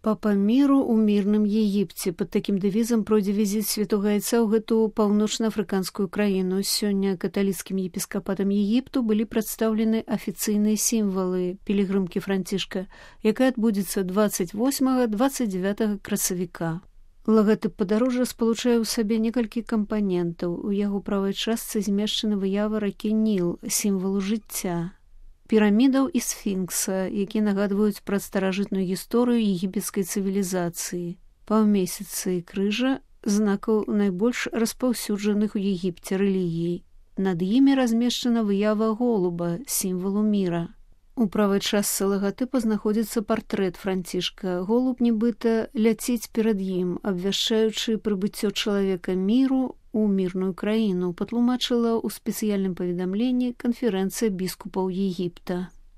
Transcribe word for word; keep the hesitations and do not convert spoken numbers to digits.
Папа міру ў мірным Егіпце. Пад такім дэвізам пройдзе візіт святога Айца ў гэту паўночна-афрыканскую краіну. Сёння каталіцкім епіскапатам Егіпту былі прадстаўлены афіцыйныя сімвалы пілігрымкі Францішка, якая адбудзецца дваццаць восьмага - дваццаць дзевятага красавіка. Лагатып падарожжа спалучае ў сабе некалькі кампанентаў. У яго правай частцы змешчана выява ракі Ніл, сімвалу жыцця, пірамідаў і сфінкса, якія нагадваюць пра старажытную гісторыю егіпецкай цывілізацыі, паўмесяцы і крыжа, знакаў найбольш распаўсюджаных у Егіпце рэлігій. Над імі размешчана выява голуба, сімвалу міра. У правай частцы лагатыпа знаходзіцца партрэт Францішка. Голуб нібыта ляціць перад ім, абвяшчаючы прыбыццё чалавека міру у мірную краіну, патлумачыла ў спецыяльным паведамленні канферэнцыя біскупаў Егіпта.